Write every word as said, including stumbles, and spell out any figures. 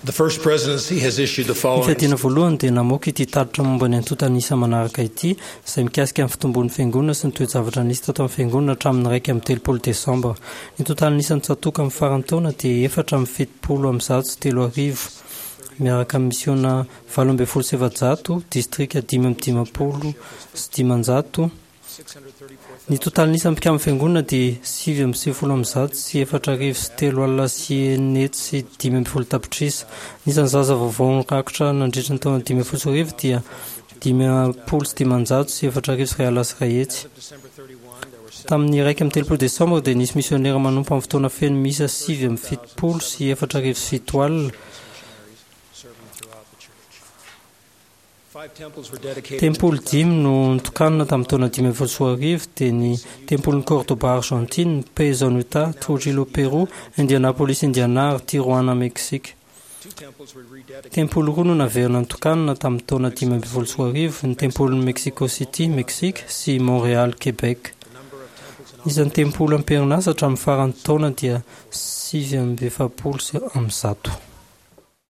The First Presidency has issued the Ny following fiadiana voalohany dia namoaka ity tatitra momba ny antontan'isa manaraka ity, izay mikasika ny fitombon'ny fiangonana sy ny toe-javatra nisy tato amin'ny fiangonana hatramin'ny iraika amby telopolo desambra. Ny totalin'isan'ny tsatòka amin'ny faran'ny taona dia efatra amby fitopolo amby zato sy telo arivo, miaraka amin'ny misiona valo ambin'ny folo sy efajato, distrika dimy amby dimampolo sy dimanjato. Ny totalin'isan'ny mpikamban'ny fiangonana dia sivy amby sivifolo amby zato sy efatra arivo sy telo alina sy enina hetsy sy dimy ambin'ny folo tapitrisa. Ny isan'ny zaza vaovao nirakitra nandritra ny taona dimy ambin'ny folo sy roa arivo dia dimampolo sy dimanjato sy efatra arivo sy iray alina sy iray hetsy. Tamin'ny iraika amby telopolo desambra dia nisy misionera manompo amin'ny fotoana feno miisa sivy amby fitopolo sy efatra arivo sy fito alina. Five temples were dedicated. Tempoly dimy no notokanina tamin'ny taona dimy ambin'ny folo sy roa arivo, dia ny Tempolin'i Córdoba Argentine, Payson Utah, Trujillo Pérou, Indianapolis Indiana ary Tijuana Mexique. Two temples were rededicated. Tempoly roa no naverina notokanina tamin'ny taona dimy ambin'ny folo sy roa arivo, ny Tempolin'i Mexico City Mexique sy Montréal Québec. The number of temples in Ny isan'ny tempoly am-perinasa hatramin'ny faran'ny taona dia sivy amby efapolo sy amby zato.